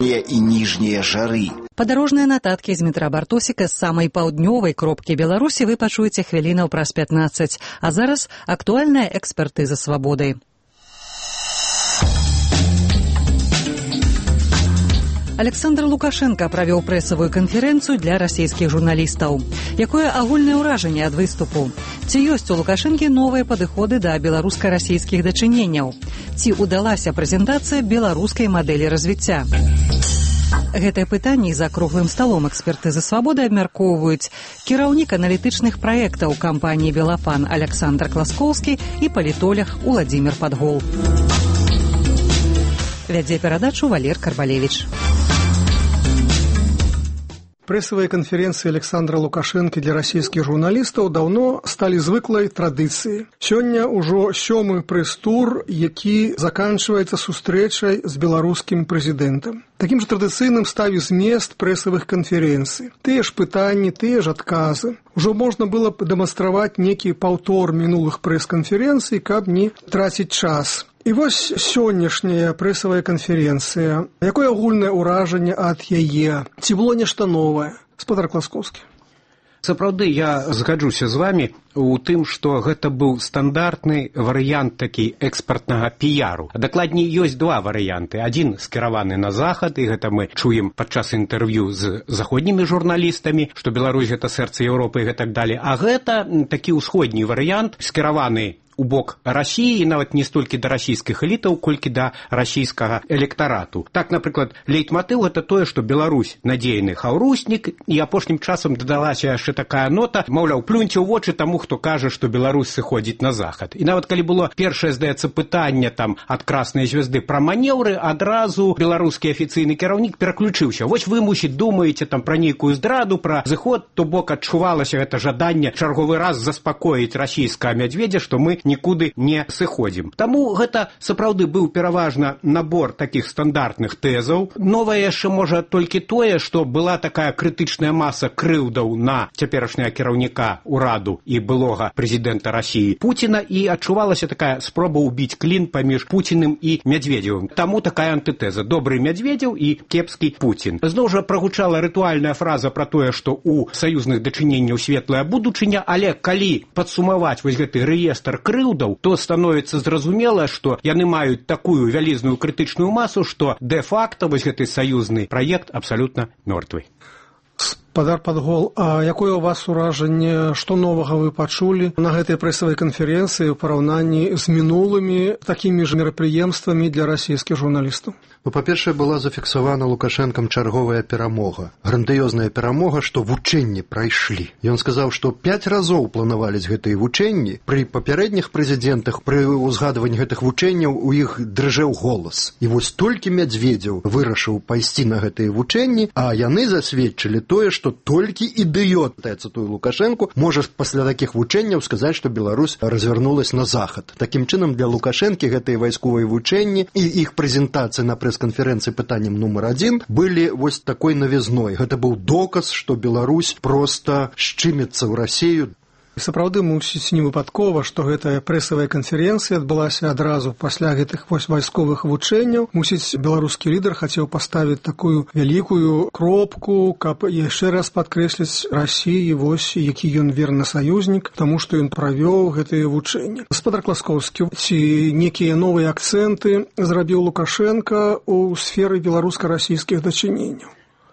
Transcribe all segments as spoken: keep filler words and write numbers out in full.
верхнія і ніжнія жары. Падарожныя нататкі з метра Бартосіка з самай паўднёвай кропкі Беларусі вы пачуеце хвілінаў праз пятнаццаць. А зараз актуальная экспертыза свабоды. Александр Лукашенко правёў прэсавую канферэнцыю для расійскіх журналістаў. Якое агульнае ўражанне ад выступу? Ці ёсць у Лукашэнкі новыя падыходы да беларуска-расійскіх дачыненняў? Ці ўдалася прэзентацыя беларускай мадэлі развіцця? Гэтае пытанне за круглым сталом экспертызы свабоды абмяркоўваюць кіраўнік аналітычных праектаў кампаніі «Белафан» Александр Класкоўскі і палітолог Уладзімір Падгол. Вядзе перадачу Валер Карбалевич. Прэсавыя канферэнцыі Александра Лукашэнкі для расійскіх журналістаў даўно сталі звыклай традыцыяй. Сёння ўжо сёмы прэс-тур, які заканчваецца сустрэчай з беларускім прэзідэнтам. Такім жа традыцыйным стаў і змест прэсавых канферэнцый. Тыя ж пытанні, тыя ж адказы. Ужо можна было б дэманстраваць некі паўтор мінулых прэс-канферэнцый, каб не траціць час. І вось сённяшняя прэсавая канферэнцыя. Якое агульнае ўражанне ад яе? Ці было нешта новае? Спадар Класкоўскі. Сапраўды, я згаджуся з вамі у тым, што гэта быў стандартны варыянт такі экспартнага піяру. Дакладней, ёсць два варыянты. Адзін скіраваны на захад, і гэта мы чуем падчас інтэрв'ю з заходнімі журналістамі, што Беларусь гэта сэрца Еўропы і гэтак далей. А гэта такі ўсходні варыянт, скіраваны у бок Расіі, і нават не столькі да расійскіх элітаў, колькі да расійскага электарату. Так, напрыклад, лейтматыў гэта тое, што Беларусь надзейны хаўруснік, і апошнім часам дадалася яшчэ такая нота, маўляў, плюньце ў вочы таму, хто кажа, што Беларусь сыходзіць на захад. І нават калі было першае, здаецца, пытанне там ад краснай звезды пра манеўры, адразу беларускі афіцыйны кіраўнік пераключыўся. Вось вы, мусіць, думаеце там пра нейкую здраду, пра зыход, то бок адчувалася гэта жаданне чарговы раз заспакоіць расійскага мядзведзя, што мы нікуды не сыходзім. Таму гэта сапраўды быў пераважна набор такіх стандартных тэзаў. Новае яшчэ можа толькі тое, што была такая крытычная маса крыўдаў на цяперашняга кіраўніка ўраду і былога прэзідэнта Расіі Пуціна, і адчувалася такая спроба ўбіць клін паміж Пуціным і Мядзведзевым. Таму такая антытэза: добры Мядзведзеў і кепскі Пуцін. Зноў жа прагучала рытуальная фраза пра тое, што ў саюзных дачыненняў светлая будучыня, але калі падсумаваць вось гэты рэестр крыўдаў, то становіцца зразумела, што яны маюць такую вялізную крытычную масу, што дэ-факта вось гэты саюзны праект абсалютна мёртвы. Спадар Падгол, а якое у вас уражанне, што новага вы пачулі на гэтай прэсавай канферэнцыі ў параўнанні з мінулымі такімі ж мерапрыемствамі для расійскіх журналістаў? Ну, па-першае, была зафіксавана Лукашэнкам чарговая перамога. Грандыёзная перамога, што вучэнні прайшлі. Ён сказаў, што пяць разоў планавались гэтыя вучэнні. Пры папярэдніх прэзідэнтах, пры ўзгадванні гэтых вучэнняў у іх дрыжэў голас. І вось толькі Мядзведзеў вырашыў пайсці на гэтыя вучэнні, а яны засведчылі тое, што толькі ідыёт, я цытую Лукашэнку, можа пасля такіх вучэнняў сказаць, што Беларусь развярнулась на захад. Такім чынам, для Лукашэнкі гэтыя вайсковыя вучэнні і іх прэзентацыя на прэс-канферэнцыі пытаннем нумар адзін былі вось такой навізной. Гэта быў доказ, што Беларусь проста шчыміцца ў Расію. Сапраўды, мусіць, не выпадкова, што гэтая прэсавая канферэнцыя адбылася адразу пасля гэтых вось вайсковых вучэнняў. Мусіць, беларускі лідар хацеў паставіць такую вялікую кропку, каб яшчэ раз падкрэсліць Расіі, вось, які ён верны саюзнік, таму што ён правёў гэтыя вучэнні. Спадар Класкоўскі, ці некія новыя акцэнты зрабіў Лукашенка ў сферы беларуска-расійскіх дачыненняў?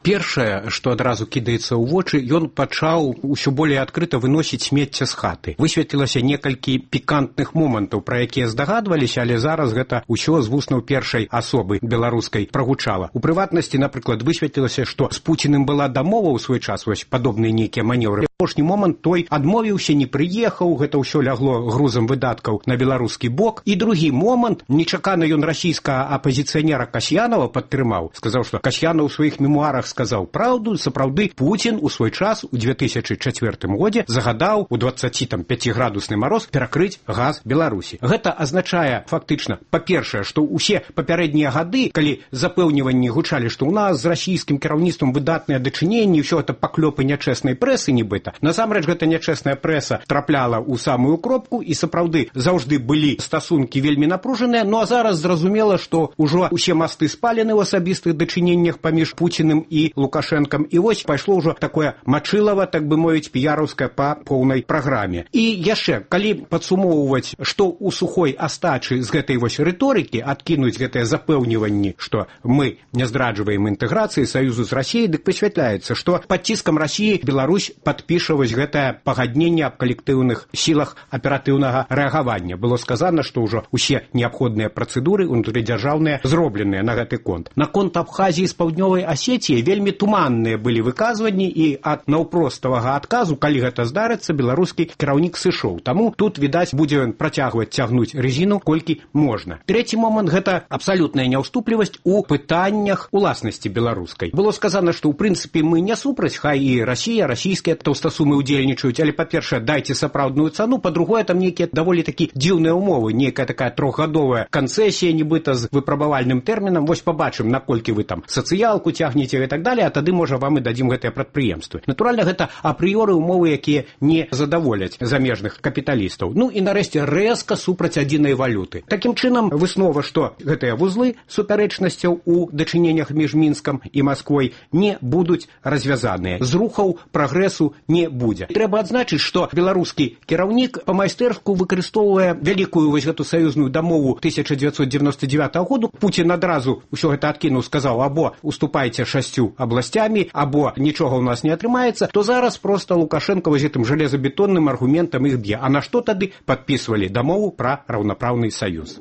Першае, што адразу кідаецца ў вочы, ён пачаў усё болей адкрыта выносіць смецце з хаты. Высветлілася некалькі пікантных момантаў, пра якія здагадваліся, але зараз гэта ўсё з вуснаў першай асобы беларускай прагучала. У прыватнасці, напрыклад, высветлілася, што з Пуціным была дамова ў свой час, вось падобныя нейкія манеўры. Апошні момант той адмовіўся, не прыехаў, гэта ўсё лягло грузам выдаткаў на беларускі бок. І другі момант, нечакана ён расійскага апазіцыянера Касьянова падтрымаў, сказаў, што Касьянов у сваіх мемуарах сказаў праўду, сапраўды Пуцін у свой час у две тысячы чацвёртым годзе загадаў у дваццаціпяціградусны мароз перакрыць газ Беларусі. Гэта азначае фактычна, па-першае, што ўсе папярэднія гады, калі запэўніванні гучалі, што ў нас з расійскім кіраўніцтвам выдатныя дачыненні, ўсё гэта паклёпы нячэснай прэсы нібыта, гэта. Насамрэч, гэта нячэсная прэса трапляла ў самую кропку, і сапраўды заўжды былі стасункі вельмі напружаныя, ну а зараз зразумела, што ўжо усе масты спалены ў асабістых дачыненнях паміж Пуціным і Лукашэнкам, і вось пайшло ўжо такое мачылава, так бы мовіць, піяраўскае па поўнай праграме. І яшчэ, калі падсумоўваць, што ў сухой астачы з гэтай вось рыторыкі адкінуць гэтыя запэўніванні, што мы не здраджваем інтэграцыі саюзу з Расіяй, дык высвятляецца, што пад ціскам Расіі Беларусь падпіша вось гэтае пагадненне аб калектыўных сілах аператыўнага рэагавання. Было сказана, што ўжо ўсе неабходныя працэдуры унутрыдзяржаўныя зробленыя на гэты конт. На конт Абхазіі з паўднёвай Асетіі вельмі туманныя былі выказванні, і ад наўпроставага адказу, калі гэта здарыцца, беларускі кіраўнік сышоў. Таму тут, відаць, будзе ён працягваць цягнуць резіну колькі можна. Трэці момант – гэта абсалютная няўступлівасць у пытаннях уласнасці беларускай. Было сказано, што ў прынцыпе мы не супраць, хай і Расія, расійскія таўстасумы ўдзельнічаюць, але, па-першае, дайце сапраўдную цану, па-другое, там нейкія даволі такі дзіўныя ўмовы, нейкая такая трохгадовая канцэсія, нібыта з выпрабавальным тэрмінам. Вось пабачым, наколькі вы там сацыялку цягнеце і так далее, а тады, можа, вам і дадзім гэтыя прадпрыемствы. Натуральна, гэта апрыёры ўмовы, якія не задаволяць замежных капіталістаў. Ну і нарэшце рэзка супраць адзінай валюты. Такім чынам, выснова, што гэтыя вузлы супярэчнасцяў у дачыненнях між Мінскам і Масквой не будуць развязаныя. Зрухаў прагрэсу не будзе. Трэба адзначыць, што беларускі кіраўнік па-майстэрску выкарыстоўвае вялікую вось гэту саюзную дамову тысяча дзевяцьсот дзевяносто девятого году. Пуцін адразу ўсё гэта адкінуў, сказаў, або уступайце шасцю абласцямі, або нічога ў нас не атрымаецца, то зараз проста Лукашенко вось гэтым жалезабетонным аргументам іх б'е. А на што тады падпісвалі дамову пра раўнапраўны саюз?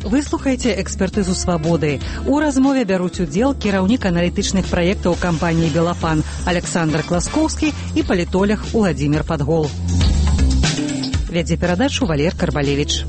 Вы слухаеце экспертызу свабоды. У размове бяруць удзел кіраўнік аналітычных праектаў кампаніі «Белафан» Александр Класкоўскі і палітолог Уладзімір Падгол. Вядзе перадачу Валер Карбалевіч.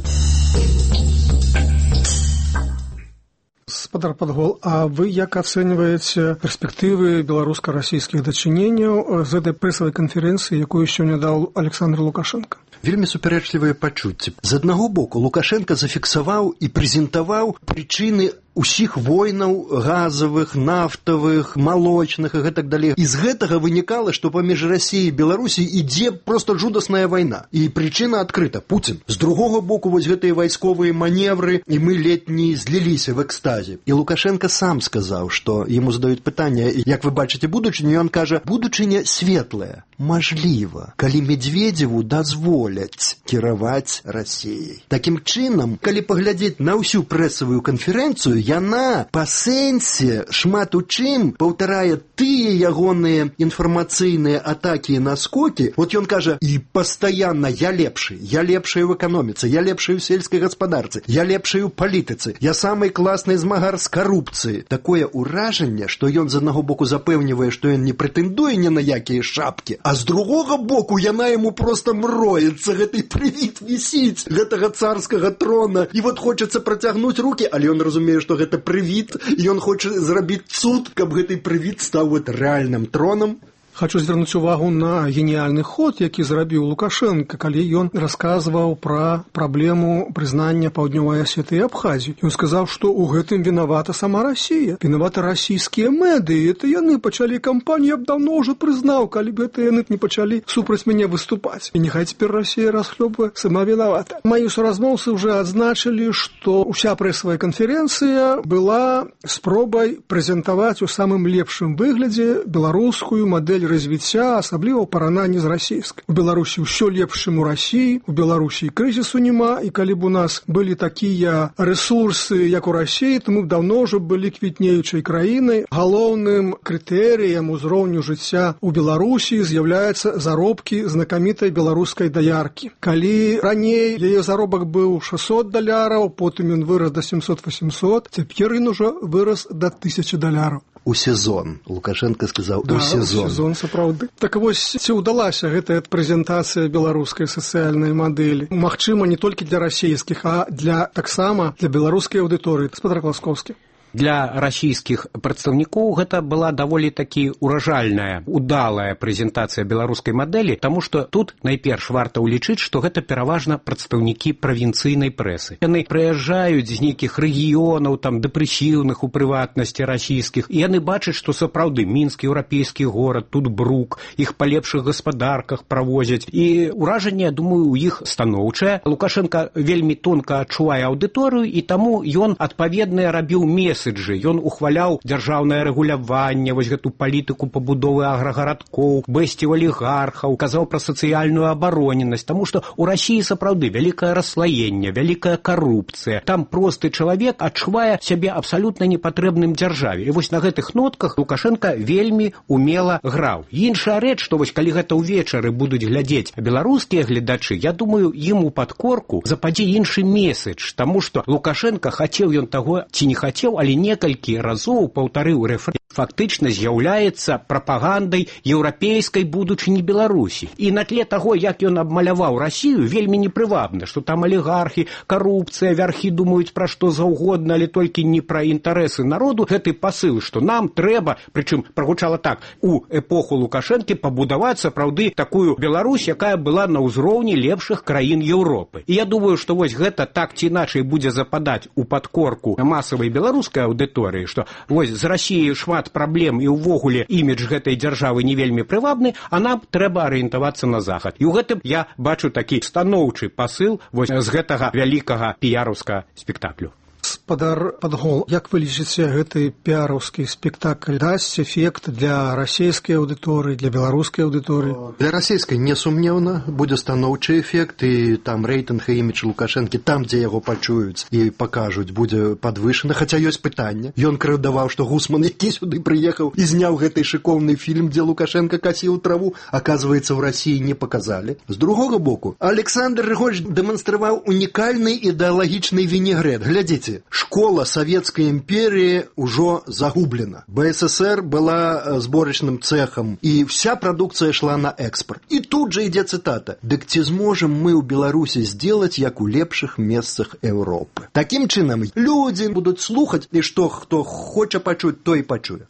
Гаспадар Падгол, а вы як ацэньваеце перспектывы беларуска-расійскіх дачыненняў з гэтай прэсавай канферэнцыі, якую сёння даў Александр Лукашенко? Вельмі супярэчлівыя пачуцці. З аднаго боку, Лукашенко зафіксаваў і прэзентаваў прычыны усіх войнаў газавых, нафтавых, малочных і гэтак далей. І з гэтага вынікала, што паміж Расіяй і Беларусій ідзе проста жудасная вайна. І прычына адкрыта – Пуцін. З другога боку, вось гэтыя вайсковыя маневры, і мы ледь не зліліся в экстазе. І Лукашенко сам сказаў, што яму задаюць пытанне, як вы бачыце будучыню, і ён кажа, будучыня светлая, мажліва, калі Медведзеву дазволяць кіраваць Расіяй. Такім чынам, калі паглядзець на ўсю прэсавую канферэнцыю, яна па сэнсе шмат у чым паўтарае тыя ягоныя інфармацыйныя атакі і наскокі. Вот ён кажа, і пастаянна я лепшы, я лепшы ў эканоміцы, я лепшы ў сельскай гаспадарцы, я лепшы ў палітыцы, я самы класны змагар з карупцыі. Такое ўражанне, што ён з аднаго боку запэўнівае, што ён не прэтэндуе ні на якія шапкі, а з другога боку яна яму проста мроецца, гэты прывід вісіць гэтага царскага трона, і вот хочацца працягнуць рукі, але ён разумее, што гэта прывід, і ён хоча зрабіць цуд, каб гэты прывід стаў вот рэальным тронам. Хочу звярнуць увагу на геніяльны ход, які зрабіў Лукашенко, калі ён расказваў пра праблему прызнання Паўднёвай Асеты і Абхазіі. Ён сказаў, што ў гэтым вінавата сама Расія, вінавата расійскія медыі. Это яны пачалі кампанію, я б даўно ўжо прызнаў, калі б гэта яны не пачалі супраць мяне выступаць. І няхай цяпер Расія расхлёбвае, сама вінавата. Мае суразмоўцы ўжо адзначылі, што ўся прэсавая канферэнцыя была спробай прэзентаваць у самым лепшым выглядзе беларускую мадэль развіцця, асабліва ў параўнанні з расійскай. У Беларусі ўсё лепшым у Расіі, у Беларусі крызісу няма, і калі б у нас былі такія рэсурсы, як у Расіі, то мы б даўно ўжо былі квітнеючай краінай. Галоўным крытэрыем узроўню жыцця ў Беларусі з'яўляюцца заробкі знакамітай беларускай даяркі. Калі раней яе заробак быў шэсцьсот даляраў, потым ён вырас да сямсот-васемсот, цяпер ён ужо вырас да тысячы даляраў. У сезон. Лукашенко сказаў, да, у сезон. У сезон, сапраўды. Так вось, ці ўдалася гэтая прэзентацыя беларускай сацыяльнай мадэлі? Магчыма, не толькі для расійскіх, а для таксама для беларускай аўдыторыі. Гаспадар Класкоўскі. Для расійскіх прадстаўнікоў гэта была даволі такі уражальная, удалая прэзентацыя беларускай мадэлі, таму што тут найперш варта ўлічыць, што гэта пераважна прадстаўнікі правінцыйнай прэсы. Яны прыязджаюць з нейкіх рэгіёнаў, там дэпрэсіўных у прыватнасці расійскіх, і яны бачаць, што сапраўды мінскі еўрапейскі горад, тут брук, іх па лепшых гаспадарках правозяць. І ўражанне, я думаю, у іх станоўчае. Лукашенка вельмі тонка адчувае аўдыторыю, і таму ён адпаведныя рабіў меседжы. Ён ухваляў дзяржаўнае рэгуляванне, вось гэту палітыку пабудовы аграгарадкоў, бэсціў алігархаў, казаў пра сацыяльную абароненасць, таму што ў Расіі сапраўды вялікае расслаенне, вялікая карупцыя. Там просты чалавек адчувае сябе абсалютна непатрэбным дзяржаве. І вось на гэтых нотках Лукашенка вельмі умела граў. Іншая рэч, што вось калі гэта ўвечары будуць глядзець беларускія гледачы, я думаю, ім у падкорку западзе іншы меседж, таму што Лукашенка хацеў ён таго ці не хацеў, але некалькі разоў паўтарыў рэфрэн, фактычна з'яўляецца прапагандай еўрапейскай будучыні Беларусі. І на тле таго, як ён абмаляваў Расію, вельмі непрывабна, што там алігархі, карупцыя, вярхі думаюць пра што заўгодна, але толькі не пра інтарэсы народу. Гэты пасыл, што нам трэба, прычым прагучала так, у эпоху Лукашэнкі пабудаваць сапраўды такую Беларусь, якая была на ўзроўні лепшых краін Еўропы. І я думаю, што вось гэта так ці іначай будзе западаць у падкорку масавай беларускай аўдыторыі, што вось з Расіяй шмат праблем і ўвогуле імідж гэтай дзяржавы не вельмі прывабны, а нам трэба арыентавацца на захад. І ў гэтым я бачу такі станоўчы пасыл вось з гэтага вялікага піяраўскага спектаклю. Спадар Падгол, як вы лічыце, гэты піараўскі спектакль дасць эфект для расійскай аўдыторыі, для беларускай аўдыторыі? Для расійскай несумнеўна будзе станоўчы эфект, і там рэйтынг і імідж Лукашэнкі, там, дзе яго пачуюць і пакажуць, будзе падвышаны, хаця ёсць пытанне. Ён крыўдаваў, што Гусман, які сюды прыехаў і зняў гэты шыкоўны фільм, дзе Лукашенка касіў траву, аказваецца, ў Расіі не паказалі. З другога боку, Александр Григорьевич дэманстраваў унікальны ідэалагічны вінегрэт. Глядзіце, школа Савецкай імперіі ўжо загублена. БССР была зборачным цэхам, і вся прадукцыя шла на экспорт. І тут жа ідзе цытата. «Дык ці зможам мы ў Беларусі здзелаць, як у лепшых месцах Еўропы?» Такім чынам, людзі будуць слухаць, і што хто хоча пачуць, той пачуе.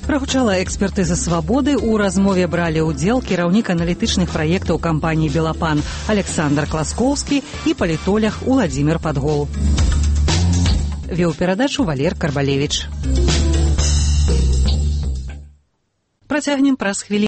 Прагучала экспертыза «Свабоды». У размове бралі ўдзел кіраўнік аналітычных праектаў кампаніі «Белапан» Александр Класкоўскі і палітолог Уладзімір Падгол. Веў перадачу Валер Карбалевіч. Працягнем праз хвіліну.